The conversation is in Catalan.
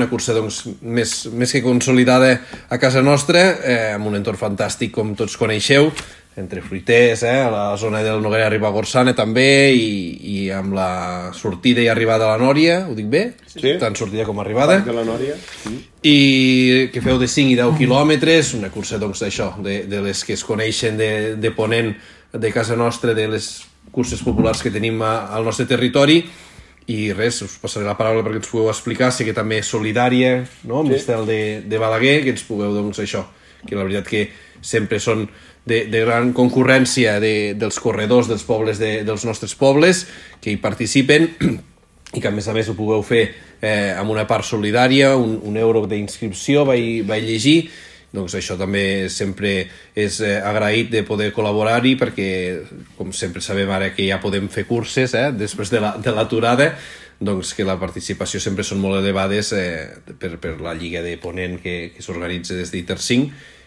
una cursa doncs, més que consolidada a casa nostra, amb un entorn fantàstic com tots coneixeu, entre fruiters, a la zona del Noguera Ribagorçana també, i amb la sortida i arribada a la Nòria, ho dic bé? Sí. Tant sortida com arribada. De la Nòria. I que feu de 5 i 10 quilòmetres, una cursa doncs d'això, de les que es coneixen de Ponent, de casa nostra, de les curses populars que tenim al nostre territori. I res, us passaré la paraula perquè ens pugueu explicar, sé que també és solidària, no? Amb l'estel de Balaguer, que ens pugueu, doncs, això, que la veritat que sempre són de gran concurrència dels corredors dels pobles dels nostres pobles, que hi participen, i que a més ho pugueu fer amb una part solidària, un euro d'inscripció, vaig llegir. Doncs això també sempre és agraït de poder col·laborar-hi, perquè, com sempre sabem ara que ja podem fer curses després de l'aturada, doncs que la participació sempre són molt elevades per la Lliga de Ponent que s'organitza des d'ITER 5,